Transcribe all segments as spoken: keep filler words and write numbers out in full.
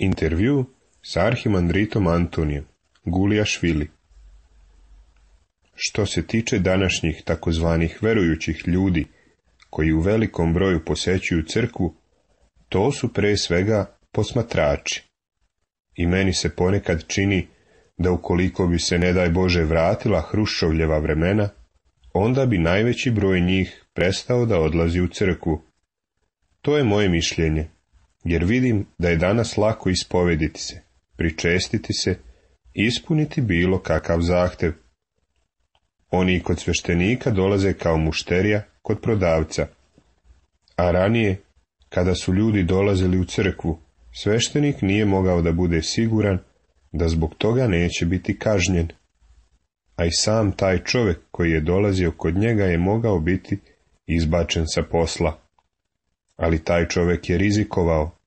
Intervju s arhimandritom Antonijem Gulijašvili. Što se tiče današnjih takozvanih verujućih ljudi koji u velikom broju posećuju crkvu, to su pre svega posmatrači. I meni se ponekad čini da ukoliko bi se, ne daj Bože, vratila Hruščovljeva vremena, onda bi najveći broj njih prestao da odlazi u crkvu. To je moje mišljenje, jer vidim da je danas lako ispovediti se, pričestiti se, ispuniti bilo kakav zahtev. Oni kod sveštenika dolaze kao mušterija kod prodavca. A ranije, kada su ljudi dolazili u crkvu, sveštenik nije mogao da bude siguran da zbog toga neće biti kažnjen. A i sam taj čovjek koji je dolazio kod njega je mogao biti izbačen sa posla. Ali taj čovjek je rizikovao,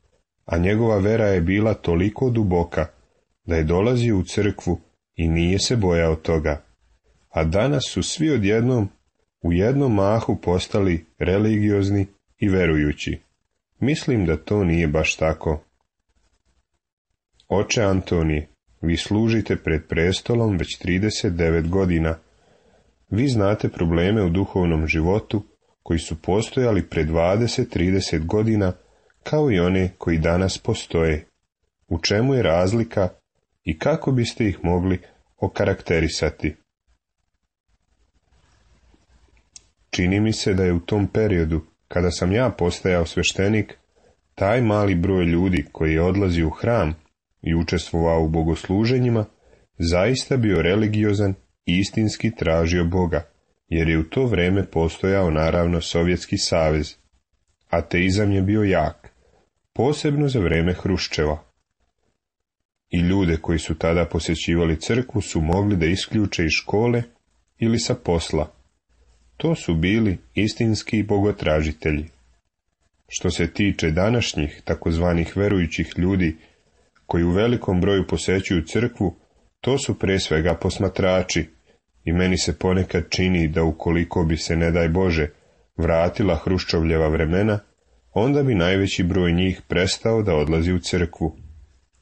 a njegova vera je bila toliko duboka da je dolazio u crkvu i nije se bojao toga. A danas su svi odjednom u jednom mahu postali religiozni i verujući. Mislim da to nije baš tako. Oče Antonije, vi služite pred prestolom već trideset devet godina. Vi znate probleme u duhovnom životu koji su postojali pred dvadeset trideset godina, kao i one koji danas postoje. U čemu je razlika i kako biste ih mogli okarakterisati? Čini mi se da je u tom periodu, kada sam ja postajao sveštenik, taj mali broj ljudi koji je odlazio u hram i učestvovao u bogosluženjima, zaista bio religiozan i istinski tražio Boga, jer je u to vreme postojao naravno Sovjetski savez. Ateizam je bio jak, posebno za vreme Hruščeva. I ljude koji su tada posjećivali crkvu su mogli da isključe iz škole ili sa posla. To su bili istinski bogotražitelji. Što se tiče današnjih takozvanih verujućih ljudi koji u velikom broju posećuju crkvu, to su pre svega posmatrači. I meni se ponekad čini da ukoliko bi se, ne daj Bože, vratila Hruščovljeva vremena, onda bi najveći broj njih prestao da odlazi u crkvu.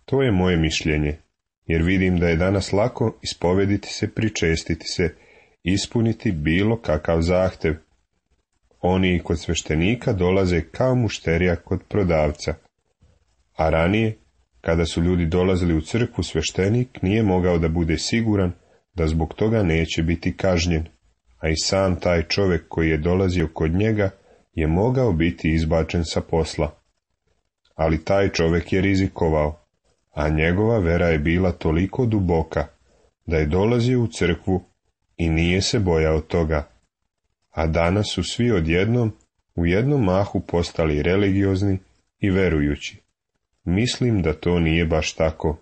To je moje mišljenje, jer vidim da je danas lako ispovediti se, pričestiti se, ispuniti bilo kakav zahtev. Oni kod sveštenika dolaze kao mušterija kod prodavca. A ranije, kada su ljudi dolazili u crkvu, sveštenik nije mogao da bude siguran da zbog toga neće biti kažnjen, a i sam taj čovjek koji je dolazio kod njega je mogao biti izbačen sa posla. Ali taj čovjek je rizikovao, a njegova vera je bila toliko duboka da je dolazio u crkvu i nije se bojao toga. A danas su svi odjednom u jednom mahu postali religiozni i verujući. Mislim da to nije baš tako.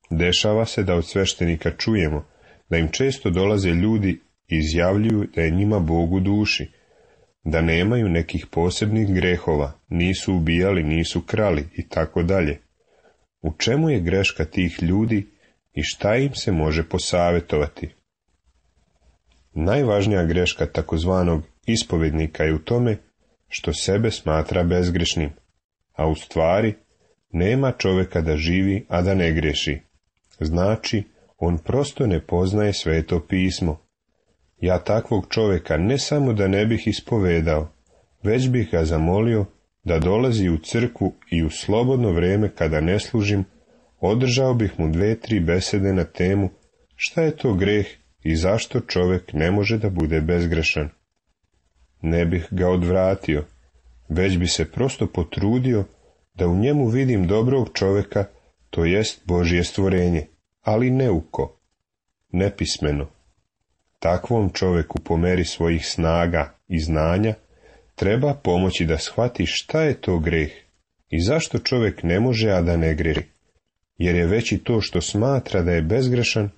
Dešava se da od sveštenika čujemo da im često dolaze ljudi i izjavljuju da je njima Bog u duši, da nemaju nekih posebnih grehova, nisu ubijali, nisu krali i tako dalje. U čemu je greška tih ljudi i šta im se može posavjetovati? Najvažnija greška takozvanog ispovednika je u tome što sebe smatra bezgrešnim, a u stvari nema čovjeka da živi, a da ne greši. Znači, on prosto ne poznaje Sveto pismo. Ja takvog čovjeka ne samo da ne bih ispovedao, već bih ga zamolio da dolazi u crkvu i u slobodno vrijeme kada ne služim, održao bih mu dve, tri besede na temu šta je to greh i zašto čovjek ne može da bude bezgrešan. Ne bih ga odvratio, već bi se prosto potrudio da u njemu vidim dobrog čovjeka, to jest Božje stvorenje, ali neuko, nepismeno. Takvom čovjeku po meri svojih snaga i znanja treba pomoći da shvati šta je to greh i zašto čovjek ne može, a da ne greši, jer je već i to što smatra da je bezgrešan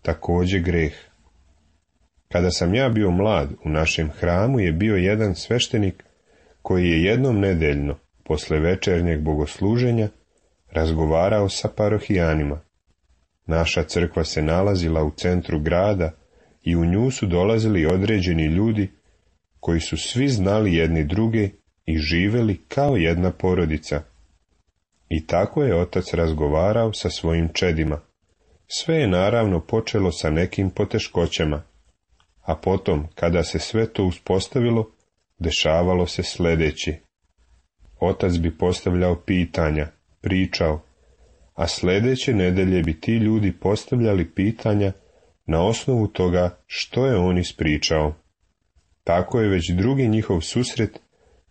također greh. Kada sam ja bio mlad, u našem hramu je bio jedan sveštenik koji je jednom nedeljno, posle večernjeg bogosluženja, razgovarao sa parohijanima. Naša crkva se nalazila u centru grada i u nju su dolazili određeni ljudi koji su svi znali jedni druge i živeli kao jedna porodica. I tako je otac razgovarao sa svojim čedima. Sve je naravno počelo sa nekim poteškoćama, a potom, kada se sve to uspostavilo, dešavalo se sljedeće. Otac bi postavljao pitanja, pričao, a sljedeće nedelje bi ti ljudi postavljali pitanja na osnovu toga što je on ispričao. Tako je već drugi njihov susret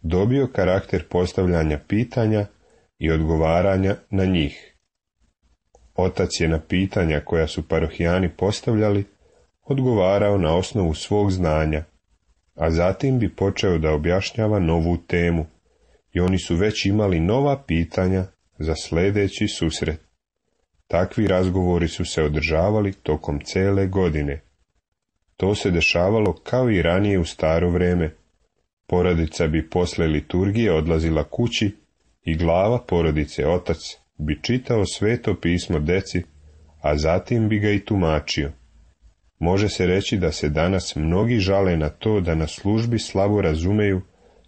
dobio karakter postavljanja pitanja i odgovaranja na njih. Otac je na pitanja koja su parohijani postavljali odgovarao na osnovu svog znanja, a zatim bi počeo da objašnjava novu temu i oni su već imali nova pitanja za sljedeći susret. Takvi razgovori su se održavali tokom cele godine. To se dešavalo kao i ranije u staro vreme. Porodica bi posle liturgije odlazila kući i glava porodice, otac, bi čitao sveto pismo deci, a zatim bi ga i tumačio. Može se reći da se danas mnogi žale na to da na službi slabo razumeju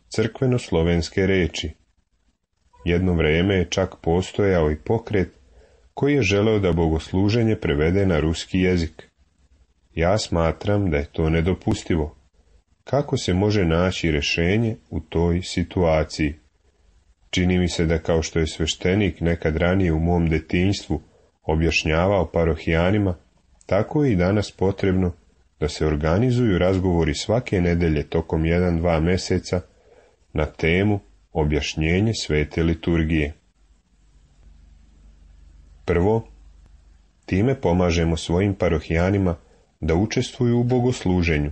crkveno-slovenske reči. Jedno vrijeme je čak postojao i pokret koji je želeo da bogosluženje prevede na ruski jezik. Ja smatram da je to nedopustivo. Kako se može naći rješenje u toj situaciji? Čini mi se da kao što je sveštenik nekad ranije u mom detinjstvu objašnjavao parohijanima, tako je i danas potrebno da se organizuju razgovori svake nedelje tokom jedan dva mjeseca na temu objašnjenje svete liturgije. Prvo, time pomažemo svojim parohijanima da učestvuju u bogosluženju,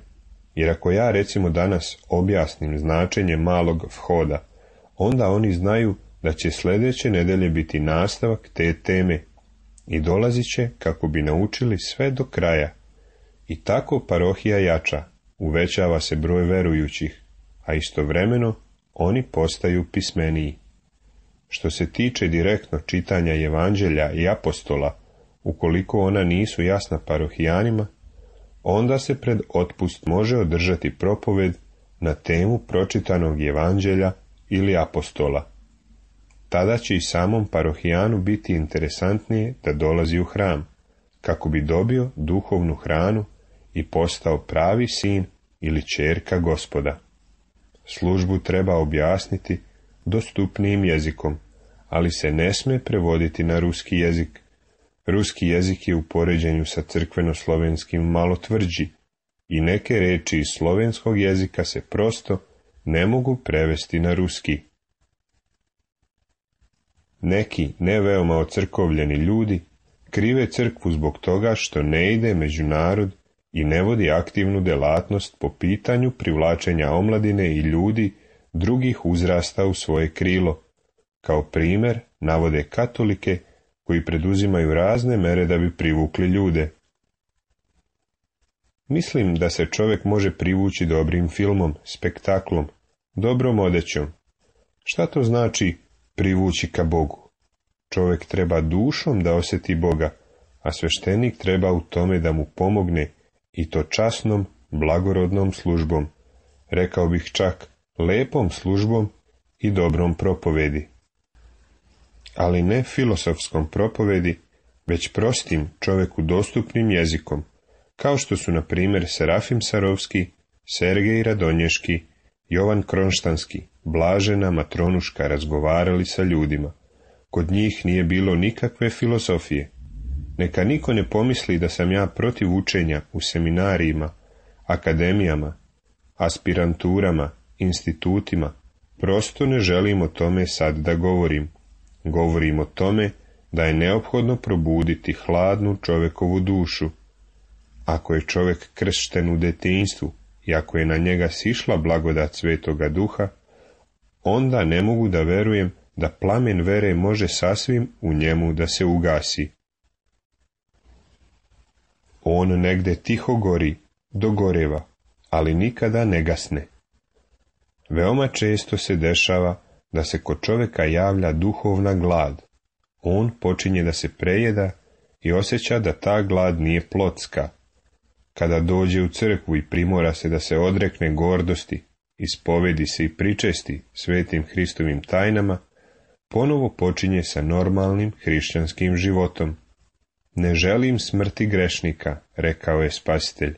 jer ako ja recimo danas objasnim značenje malog vhoda, onda oni znaju da će sljedeće nedelje biti nastavak te teme i dolazit će kako bi naučili sve do kraja. I tako parohija jača, uvećava se broj verujućih, a istovremeno oni postaju pismeniji. Što se tiče direktno čitanja evanđelja i apostola, ukoliko ona nisu jasna parohijanima, onda se pred otpust može održati propoved na temu pročitanog evanđelja ili apostola. Tada će i samom parohijanu biti interesantnije da dolazi u hram, kako bi dobio duhovnu hranu i postao pravi sin ili ćerka Gospoda. Službu treba objasniti dostupnijim jezikom, ali se ne sme prevoditi na ruski jezik. Ruski jezik je u poređenju sa crkveno-slovenskim malo tvrđi i neke reči iz slovenskog jezika se prosto ne mogu prevesti na ruski. Neki ne veoma ocrkovljeni ljudi krive crkvu zbog toga što ne ide među narod i ne vodi aktivnu delatnost po pitanju privlačenja omladine i ljudi drugih uzrasta u svoje krilo. Kao primjer navode katolike koji preduzimaju razne mere da bi privukli ljude. Mislim da se čovjek može privući dobrim filmom, spektaklom, dobrom odećom. Šta to znači privući ka Bogu? Čovjek treba dušom da osjeti Boga, a sveštenik treba u tome da mu pomogne i to časnom, blagorodnom službom, rekao bih čak lepom službom i dobrom propovedi. Ali ne filosofskom propovedi, već prostim čovjeku dostupnim jezikom, kao što su na primjer Serafim Sarovski, Sergej Radonješki, Jovan Kronštanski, Blažena Matronuška razgovarali sa ljudima. Kod njih nije bilo nikakve filosofije. Neka niko ne pomisli da sam ja protiv učenja u seminarijima, akademijama, aspiranturama, institutima. Prosto ne želim o tome sad da govorim. Govorim o tome da je neophodno probuditi hladnu čovjekovu dušu. Ako je čovjek kršten u detinjstvu i ako je na njega sišla blagodat Svetoga Duha, onda ne mogu da verujem da plamen vere može sasvim u njemu da se ugasi. On negde tiho gori, dogoreva, ali nikada ne gasne. Veoma često se dešava da se kod čovjeka javlja duhovna glad. On počinje da se prejeda i osjeća da ta glad nije plotska. Kada dođe u crkvu i primora se da se odrekne gordosti, ispovedi se i pričesti svetim Hristovim tajnama, ponovo počinje sa normalnim hrišćanskim životom. Ne želim smrti grešnika, rekao je Spasitelj.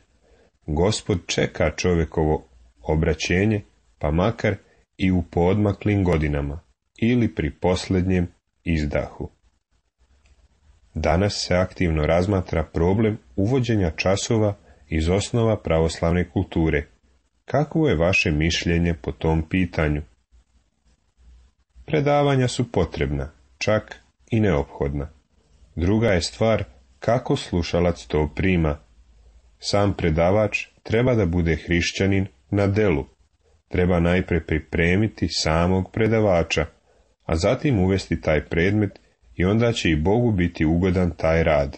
Gospod čeka čovjekovo obraćenje, pa makar i u poodmaklim godinama ili pri posljednjem izdahu. Danas se aktivno razmatra problem uvođenja časova iz osnova pravoslavne kulture. Kakvo je vaše mišljenje po tom pitanju? Predavanja su potrebna, čak i neophodna. Druga je stvar kako slušalac to prima. Sam predavač treba da bude hrišćanin na delu. Treba najprije pripremiti samog predavača, a zatim uvesti taj predmet i onda će i Bogu biti ugodan taj rad.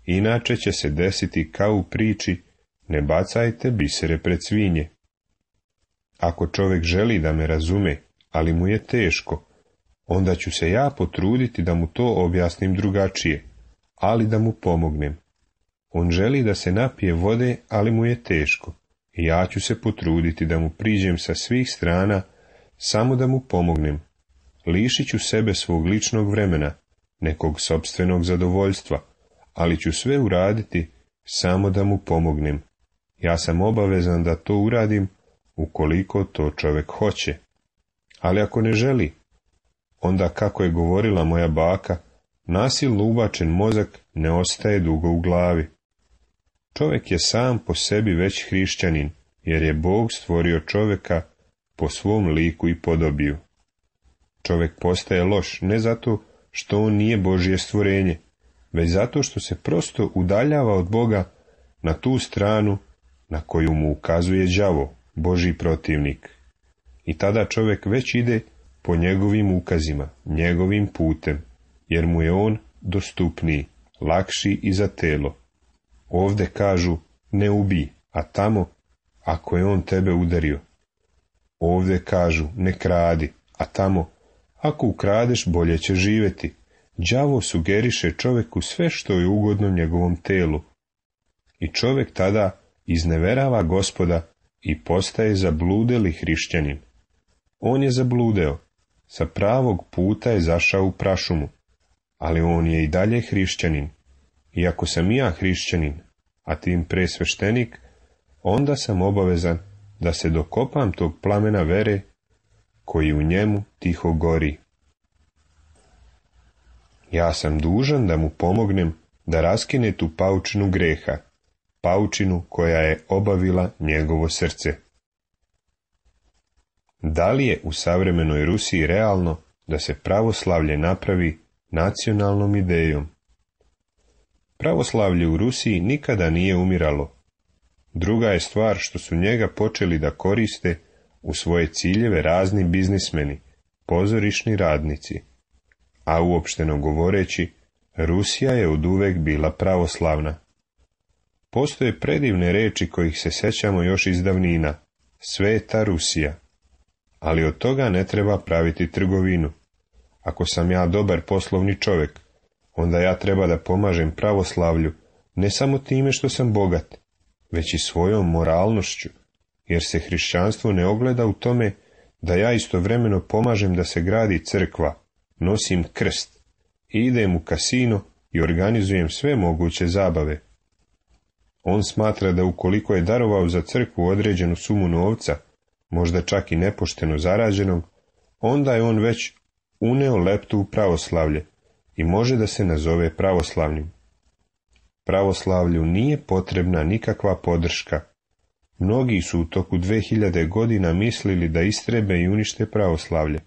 Inače će se desiti kao u priči ne bacajte bisere pred svinje. Ako čovjek želi da me razume, ali mu je teško, onda ću se ja potruditi da mu to objasnim drugačije, ali da mu pomognem. On želi da se napije vode, ali mu je teško, i ja ću se potruditi da mu priđem sa svih strana, samo da mu pomognem. Lišit ću sebe svog ličnog vremena, nekog sopstvenog zadovoljstva, ali ću sve uraditi samo da mu pomognem. Ja sam obavezan da to uradim ukoliko to čovjek hoće. Ali ako ne želi, onda, kako je govorila moja baka, nasilno ubačen mozak ne ostaje dugo u glavi. Čovjek je sam po sebi već hrišćanin, jer je Bog stvorio čovjeka po svom liku i podobiju. Čovjek postaje loš ne zato što on nije Božje stvorenje, već zato što se prosto udaljava od Boga na tu stranu na koju mu ukazuje đavo, Božji protivnik. I tada čovjek već ide po njegovim ukazima, njegovim putem, jer mu je on dostupniji, lakši i za telo. Ovde kažu ne ubij, a tamo ako je on tebe udario. Ovde kažu ne kradi, a tamo ako ukradeš bolje će živjeti. Đavo sugeriše čovjeku sve što je ugodno njegovom telu. I čovjek tada izneverava Gospoda i postaje zabludeli hrišćanin. On je zabludeo, sa pravog puta je zašao u prašumu, ali on je i dalje hrišćanin. I ako sam i ja hrišćanin, a tim pre sveštenik, onda sam obavezan da se dokopam tog plamena vere koji u njemu tiho gori. Ja sam dužan da mu pomognem da raskine tu paučinu greha, paučinu koja je obavila njegovo srce. Da li je u savremenoj Rusiji realno da se pravoslavlje napravi nacionalnom idejom? Pravoslavlje u Rusiji nikada nije umiralo. Druga je stvar što su njega počeli da koriste u svoje ciljeve razni biznismeni, pozorišni radnici. A uopšteno govoreći, Rusija je oduvek bila pravoslavna. Postoje predivne reči kojih se sećamo još iz davnina, sveta Rusija. Ali od toga ne treba praviti trgovinu. Ako sam ja dobar poslovni čovjek, onda ja treba da pomažem pravoslavlju ne samo time što sam bogat, već i svojom moralnošću, jer se hrišćanstvo ne ogleda u tome da ja istovremeno pomažem da se gradi crkva, nosim krst, idem u kasino i organizujem sve moguće zabave. On smatra da ukoliko je darovao za crkvu određenu sumu novca, možda čak i nepošteno zarađenog, onda je on već uneo leptu u pravoslavlje i može da se nazove pravoslavnim. Pravoslavlju nije potrebna nikakva podrška. Mnogi su u toku dve hiljade godina mislili da istrebe i unište pravoslavlje,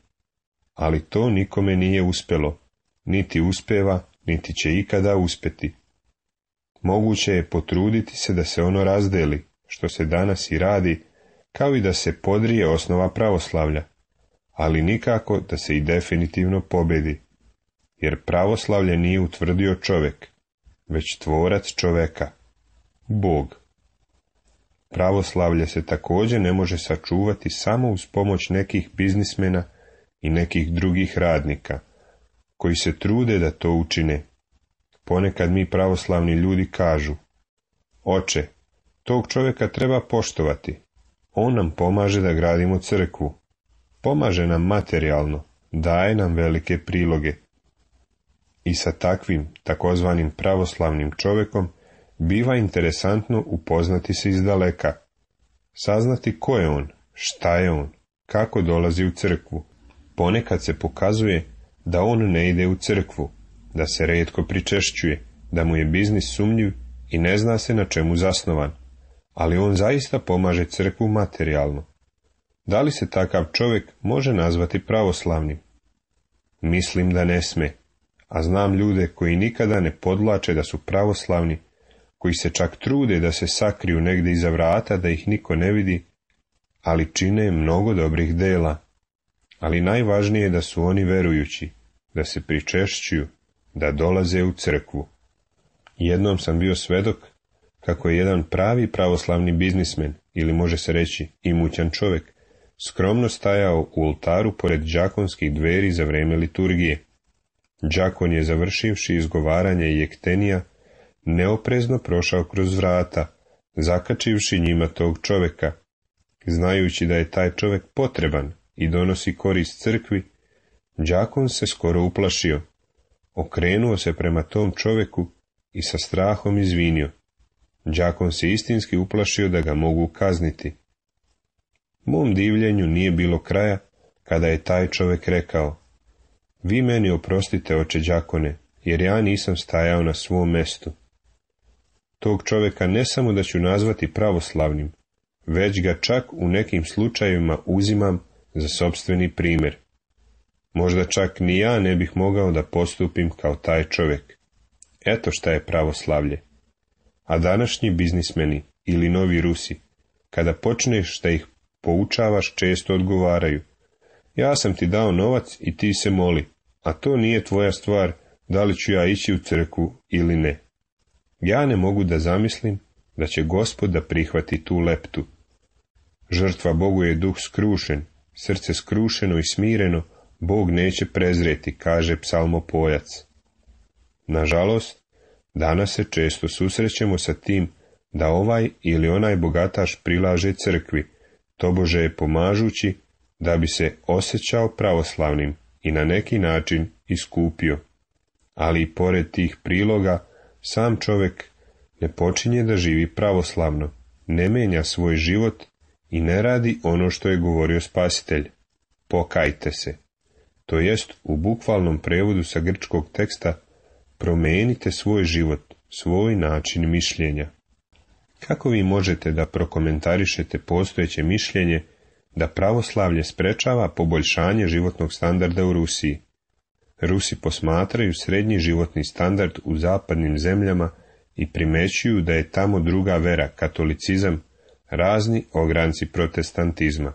ali to nikome nije uspelo, niti uspeva, niti će ikada uspeti. Moguće je potruditi se da se ono razdeli, što se danas i radi, kao i da se podrije osnova pravoslavlja, ali nikako da se i definitivno pobedi, jer pravoslavlje nije utvrdio čovjek, već tvorac čoveka, Bog. Pravoslavlje se također ne može sačuvati samo uz pomoć nekih biznismena i nekih drugih radnika, koji se trude da to učine. Ponekad mi pravoslavni ljudi kažu, oče, tog čovjeka treba poštovati, on nam pomaže da gradimo crkvu, pomaže nam materijalno, daje nam velike priloge. I sa takvim, takozvanim pravoslavnim čovjekom, biva interesantno upoznati se izdaleka, saznati ko je on, šta je on, kako dolazi u crkvu. Ponekad se pokazuje da on ne ide u crkvu, da se rijetko pričešćuje, da mu je biznis sumnjiv i ne zna se na čemu zasnovan, ali on zaista pomaže crkvu materijalno. Da li se takav čovjek može nazvati pravoslavnim? Mislim da ne sme, a znam ljude koji nikada ne podvlače da su pravoslavni, koji se čak trude da se sakriju negdje iza vrata da ih niko ne vidi, ali čine mnogo dobrih dela. Ali najvažnije je da su oni verujući, da se pričešćuju, da dolaze u crkvu. Jednom sam bio svedok kako je jedan pravi pravoslavni biznismen, ili može se reći imućan čovjek, skromno stajao u oltaru pored đakonskih dveri za vrijeme liturgije. Đakon je, završivši izgovaranje jektenija, neoprezno prošao kroz vrata, zakačivši njima tog čovjeka. Znajući da je taj čovjek potreban i donosi korist crkvi, đakon se skoro uplašio, okrenuo se prema tom čovjeku i sa strahom izvinio. Đakon se istinski uplašio da ga mogu kazniti. Mom divljenju nije bilo kraja kada je taj čovjek rekao: vi meni oprostite, oče đakone, jer ja nisam stajao na svom mestu. Tog čovjeka ne samo da ću nazvati pravoslavnim, već ga čak u nekim slučajevima uzimam za sopstveni primjer. Možda čak ni ja ne bih mogao da postupim kao taj čovjek. Eto šta je pravoslavlje. A današnji biznismeni ili novi Rusi, kada počneš da ih poučavaš, često odgovaraju: ja sam ti dao novac i ti se moli, a to nije tvoja stvar da li ću ja ići u crkvu ili ne. Ja ne mogu da zamislim da će Gospod da prihvati tu leptu. Žrtva Bogu je duh skrušen, srce skrušeno i smireno Bog neće prezreti, kaže psalmopojac. Nažalost, danas se često susrećemo sa tim da ovaj ili onaj bogataš prilaže crkvi, tobože je pomažući da bi se osjećao pravoslavnim i na neki način iskupio. Ali i pored tih priloga, sam čovjek ne počinje da živi pravoslavno, ne menja svoj život i ne radi ono što je govorio Spasitelj: pokajte se. To jest, u bukvalnom prevodu sa grčkog teksta, promenite svoj život, svoj način mišljenja. Kako vi možete da prokomentarišete postojeće mišljenje da pravoslavlje sprečava poboljšanje životnog standarda u Rusiji? Rusi posmatraju srednji životni standard u zapadnim zemljama i primećuju da je tamo druga vera, katolicizam, razni ogranci protestantizma.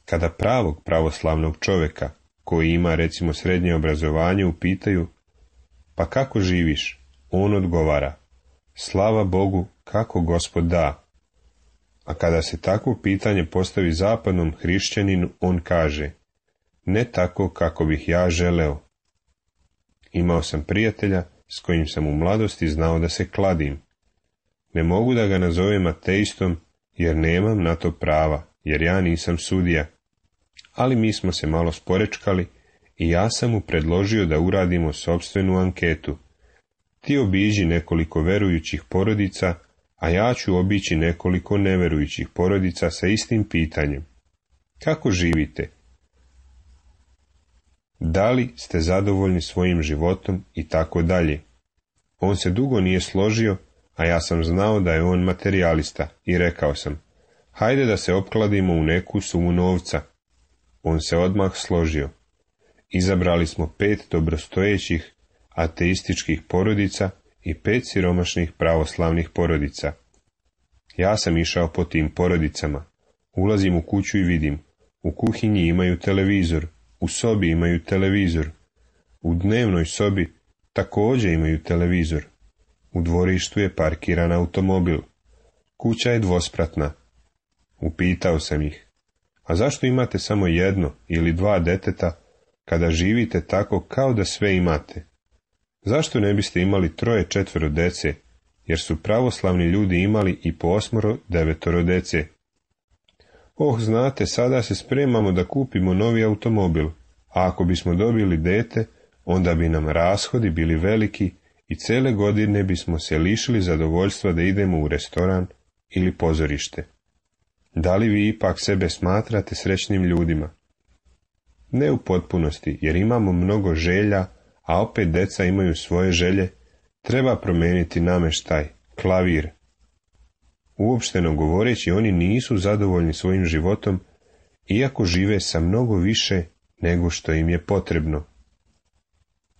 Kada pravog pravoslavnog čovjeka, koji ima recimo srednje obrazovanje, upitaju: pa kako živiš? On odgovara: slava Bogu, kako Gospod da. A kada se takvo pitanje postavi zapadnom hrišćaninu, on kaže: ne tako kako bih ja želeo. Imao sam prijatelja s kojim sam u mladosti znao da se kladim. Ne mogu da ga nazovem ateistom jer nemam na to prava, jer ja nisam sudija. Ali mi smo se malo sporečkali i ja sam mu predložio da uradimo sopstvenu anketu. Ti obiđi nekoliko verujućih porodica, a ja ću obići nekoliko neverujućih porodica sa istim pitanjem: kako živite? Da li ste zadovoljni svojim životom i tako dalje. On se dugo nije složio, a ja sam znao da je on materijalista i rekao sam: hajde da se opkladimo u neku sumu novca. On se odmah složio. Izabrali smo pet dobrostojećih ateističkih porodica i pet siromašnih pravoslavnih porodica. Ja sam išao po tim porodicama. Ulazim u kuću i vidim: u kuhinji imaju televizor, u sobi imaju televizor, u dnevnoj sobi također imaju televizor, u dvorištu je parkiran automobil, kuća je dvospratna. Upitao sam ih: a zašto imate samo jedno ili dva deteta kada živite tako kao da sve imate? Zašto ne biste imali troje četvero dece, jer su pravoslavni ljudi imali i po osmoro devetoro dece? Oh, znate, sada se spremamo da kupimo novi automobil, a ako bismo dobili dete, onda bi nam rashodi bili veliki i cele godine bismo se lišili zadovoljstva da idemo u restoran ili pozorište. Da li vi ipak sebe smatrate srećnim ljudima? Ne u potpunosti, jer imamo mnogo želja, a opet deca imaju svoje želje, treba promijeniti namještaj, klavir. Uopšteno govoreći, oni nisu zadovoljni svojim životom, iako žive sa mnogo više nego što im je potrebno.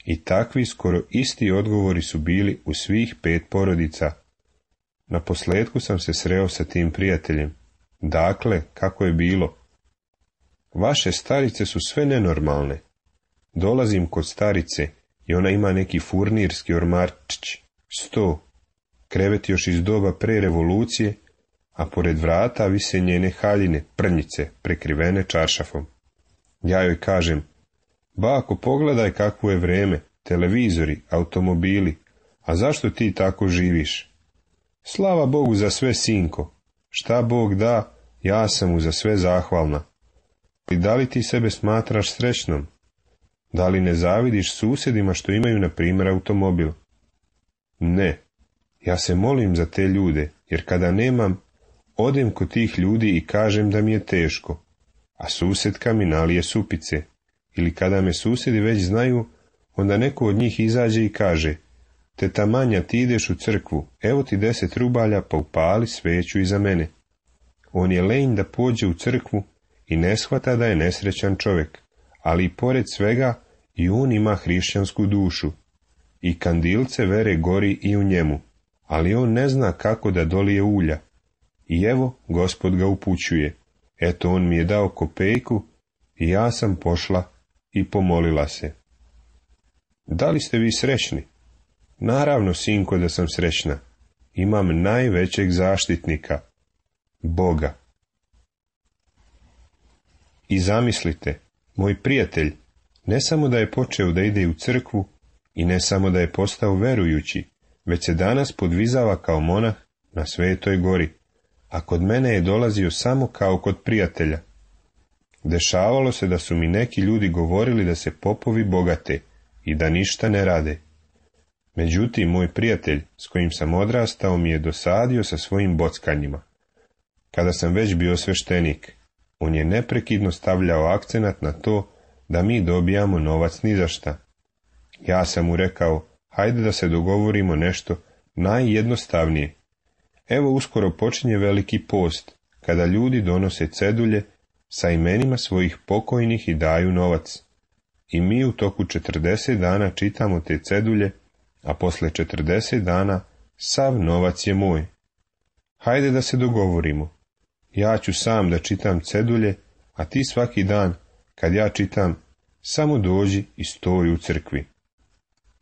I takvi skoro isti odgovori su bili u svih pet porodica. Na posljedku sam se sreo sa tim prijateljem. Dakle, kako je bilo? Vaše starice su sve nenormalne. Dolazim kod starice i ona ima neki furnirski ormarčić, sto, krevet još iz doba pre revolucije, a pored vrata vise njene haljine, prnjice, prekrivene čaršafom. Ja joj kažem, bako, pogledaj kakvo je vreme, televizori, automobili, a zašto ti tako živiš? Slava Bogu za sve, sinko, šta Bog da, ja sam mu za sve zahvalna. I da li ti sebe smatraš srećnom? Da li ne zavidiš susjedima što imaju, na primjer, automobil? Ne, ja se molim za te ljude, jer kada nemam, odem kod tih ljudi i kažem da mi je teško, a susjedka mi nalije supice. Ili kada me susjedi već znaju, onda neko od njih izađe i kaže, teta Manja, ti ideš u crkvu, evo ti deset rubalja, pa upali sveću iza mene. On je lenj da pođe u crkvu i ne shvata da je nesrećan čovjek, ali i pored svega i on ima hrišćansku dušu. I kandilce vere gori i u njemu, ali on ne zna kako da dolije ulja. I evo, Gospod ga upućuje. Eto, on mi je dao kopejku i ja sam pošla i pomolila se. Da li ste vi srećni? Naravno, sinko, da sam srećna. Imam najvećeg zaštitnika, Boga. I zamislite, moj prijatelj, ne samo da je počeo da ide u crkvu i ne samo da je postao verujući, već se danas podvizava kao monah na Svetoj gori, a kod mene je dolazio samo kao kod prijatelja. Dešavalo se da su mi neki ljudi govorili da se popovi bogate i da ništa ne rade. Međutim, moj prijatelj, s kojim sam odrastao, mi je dosadio sa svojim bockanjima. Kada sam već bio sveštenik, on je neprekidno stavljao akcenat na to da mi dobijamo novac ni za šta. Ja sam mu rekao, hajde da se dogovorimo nešto najjednostavnije. Evo, uskoro počinje veliki post, kada ljudi donose cedulje sa imenima svojih pokojnih i daju novac. I mi u toku četrdeset dana čitamo te cedulje, a posle četrdeset dana sav novac je moj. Hajde da se dogovorimo. Ja ću sam da čitam cedulje, a ti svaki dan, kad ja čitam, samo dođi i stoji u crkvi.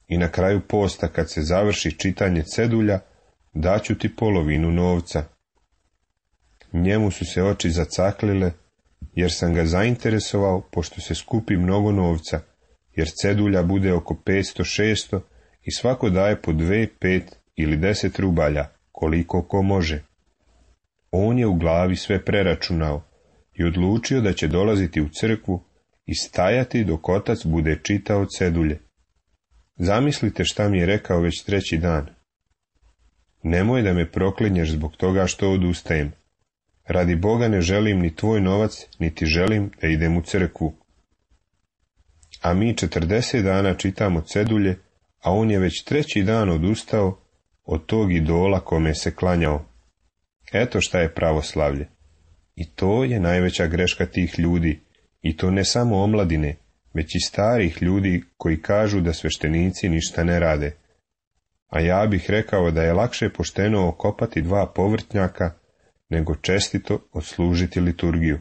I na kraju posta, kad se završi čitanje cedulja, daću ti polovinu novca. Njemu su se oči zacaklile, jer sam ga zainteresovao, pošto se skupi mnogo novca, jer cedulja bude oko petsto šesto i svako daje po dve, pet ili deset rubalja, koliko ko može. On je u glavi sve preračunao i odlučio da će dolaziti u crkvu i stajati dok otac bude čitao cedulje. Zamislite šta mi je rekao već treći dan. Nemoj da me proklinješ zbog toga što odustajem. Radi Boga ne želim ni tvoj novac, niti želim da idem u crkvu. A mi četrdeset dana čitamo cedulje, a on je već treći dan odustao od tog idola kome se klanjao. Eto šta je pravoslavlje. I to je najveća greška tih ljudi, i to ne samo omladine, već i starih ljudi koji kažu da sveštenici ništa ne rade. A ja bih rekao da je lakše pošteno okopati dva povrtnjaka, nego čestito odslužiti liturgiju.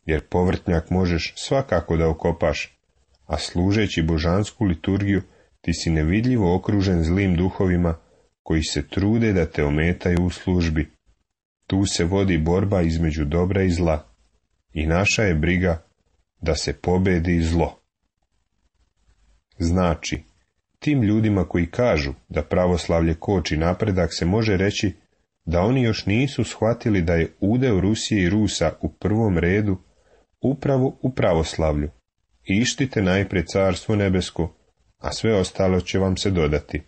Jer povrtnjak možeš svakako da okopaš, a služeći božansku liturgiju ti si nevidljivo okružen zlim duhovima koji se trude da te ometaju u službi. Tu se vodi borba između dobra i zla, i naša je briga da se pobedi zlo. Znači, tim ljudima koji kažu da pravoslavlje koči napredak se može reći da oni još nisu shvatili da je udeo Rusije i Rusa u prvom redu upravo u pravoslavlju. Ištite najprije carstvo nebesko, a sve ostalo će vam se dodati.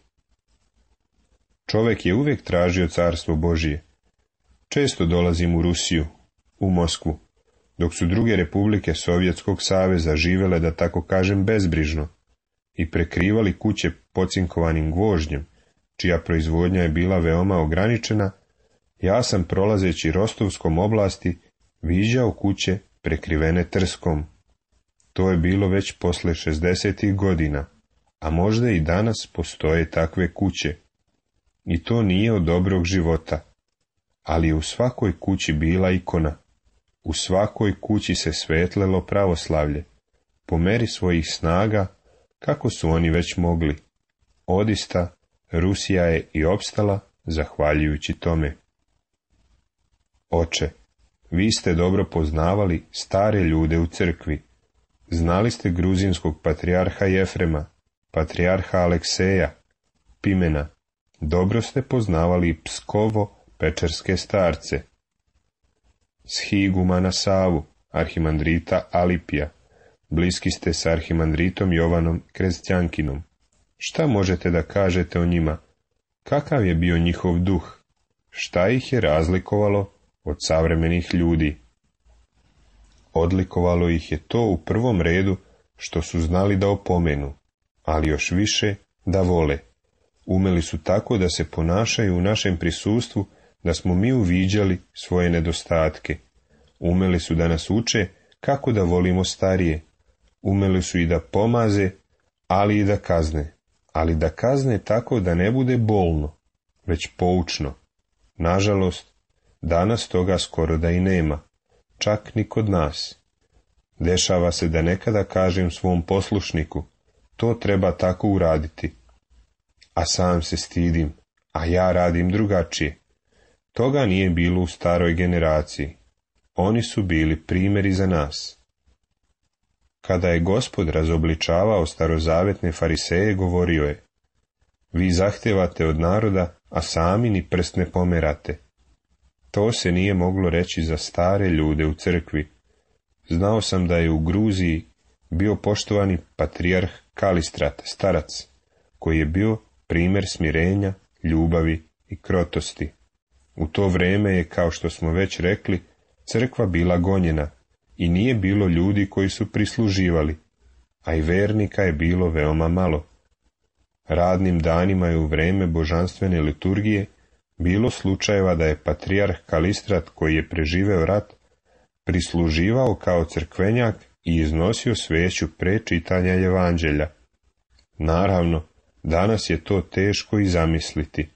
Čovjek je uvijek tražio carstvo Božije. Često dolazim u Rusiju, u Moskvu, dok su druge republike Sovjetskog saveza živele, da tako kažem, bezbrižno i prekrivali kuće pocinkovanim gvožđem, čija proizvodnja je bila veoma ograničena, ja sam prolazeći Rostovskom oblasti viđao kuće prekrivene trskom. To je bilo već posle šezdesetih godina, a možda i danas postoje takve kuće. I to nije od dobrog života, ali je u svakoj kući bila ikona. U svakoj kući se svetlelo pravoslavlje, po meri svojih snaga, kako su oni već mogli. Odista, Rusija je i opstala zahvaljujući tome. Oče, vi ste dobro poznavali stare ljude u crkvi. Znali ste gruzinskog patrijarha Jefrema, patrijarha Alekseja, Pimena. Dobro ste poznavali Pskovo-pečerske starce, Shigumana Savu, arhimandrita Alipija. Bliski ste s arhimandritom Jovanom Krestjankinom. Šta možete da kažete o njima? Kakav je bio njihov duh? Šta ih je razlikovalo od savremenih ljudi? Odlikovalo ih je to u prvom redu što su znali da opomenu, ali još više da vole. Umeli su tako da se ponašaju u našem prisustvu, da smo mi uviđali svoje nedostatke. Umeli su da nas uče kako da volimo starije. Umeli su i da pomaze, ali i da kazne. Ali da kazne tako da ne bude bolno, već poučno. Nažalost, danas toga skoro da i nema, čak ni kod nas. Dešava se da nekada kažem svom poslušniku, to treba tako uraditi. A sam se stidim, a ja radim drugačije. Toga nije bilo u staroj generaciji. Oni su bili primjeri za nas. Kada je Gospod razobličavao starozavetne fariseje, govorio je: vi zahtevate od naroda, a sami ni prst ne pomerate. To se nije moglo reći za stare ljude u crkvi. Znao sam da je u Gruziji bio poštovani patrijarh Kalistrat, starac, koji je bio primjer smirenja, ljubavi i krotosti. U to vrijeme je, kao što smo već rekli, crkva bila gonjena i nije bilo ljudi koji su prisluživali, a i vernika je bilo veoma malo. Radnim danima je u vrijeme božanstvene liturgije bilo slučajeva da je patrijarh Kalistrat, koji je preživeo rat, prisluživao kao crkvenjak i iznosio sveću pre čitanja evanđelja. Naravno, danas je to teško i zamisliti.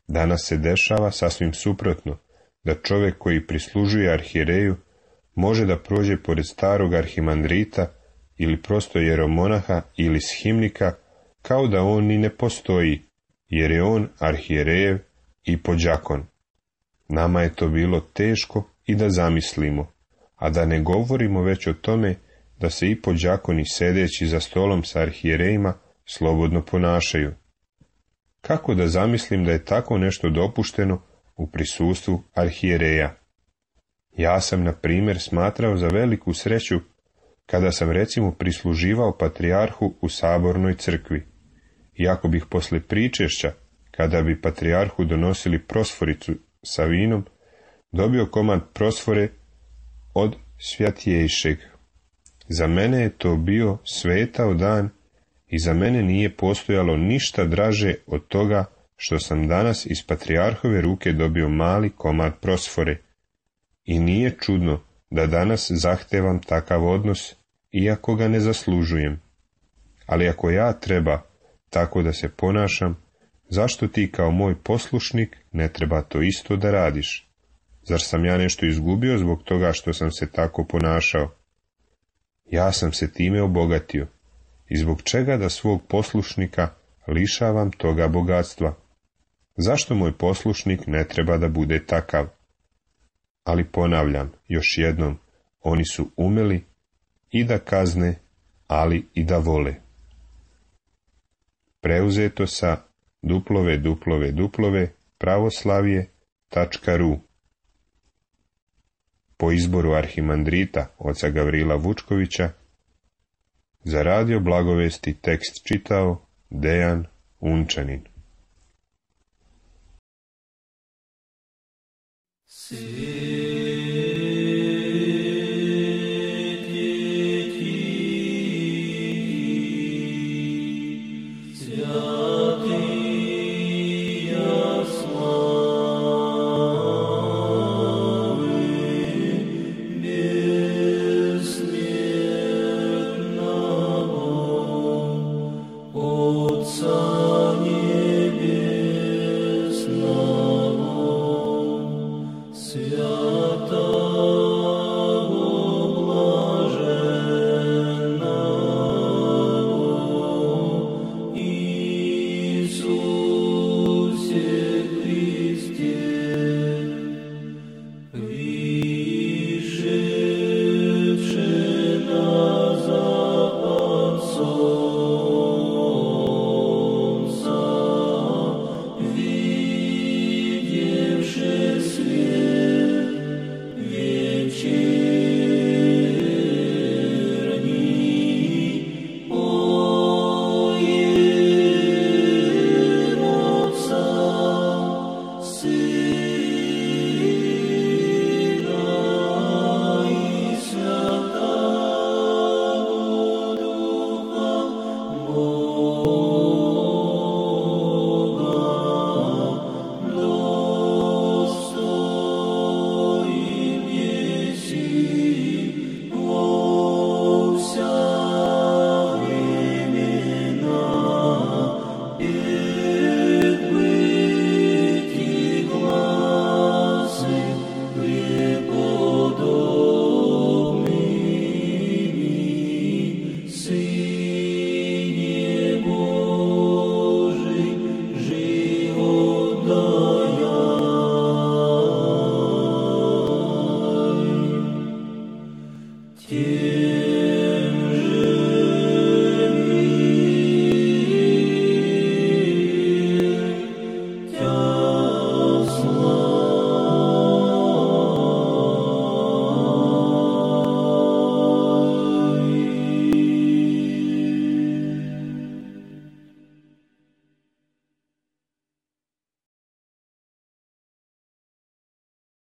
Danas se dešava sasvim suprotno, da čovjek koji prislužuje arhijereju može da prođe pored starog arhimandrita ili prosto jeromonaha ili shimnika, kao da on ni ne postoji, jer je on arhijerejev i podžakon. Nama je to bilo teško i da zamislimo, a da ne govorimo već o tome da se i podžakoni sedeći za stolom sa arhijerejima slobodno ponašaju. Kako da zamislim da je tako nešto dopušteno u prisustvu arhijereja? Ja sam, na primjer, smatrao za veliku sreću kada sam recimo prisluživao patrijarhu u sabornoj crkvi. Iako bih posle pričešća, kada bi patrijarhu donosili prosforicu sa vinom, dobio komad prosfore od svjatjejšeg. Za mene je to bio svetao dan i za mene nije postojalo ništa draže od toga što sam danas iz patrijarhove ruke dobio mali komad prosfore. I nije čudno da danas zahtevam takav odnos, iako ga ne zaslužujem. Ali ako ja treba tako da se ponašam, zašto ti kao moj poslušnik ne treba to isto da radiš? Zar sam ja nešto izgubio zbog toga što sam se tako ponašao? Ja sam se time obogatio. I zbog čega da svog poslušnika lišavam toga bogatstva? Zašto moj poslušnik ne treba da bude takav? Ali ponavljam, još jednom, oni su umeli i da kazne, ali i da vole. Preuzeto sa duplove, duplove, duplove, pravoslavje, tačka ru. Po izboru arhimandrita oca Gavrila Vučkovića, za radio Blagovesti tekst čitao Dejan Unčanin. Si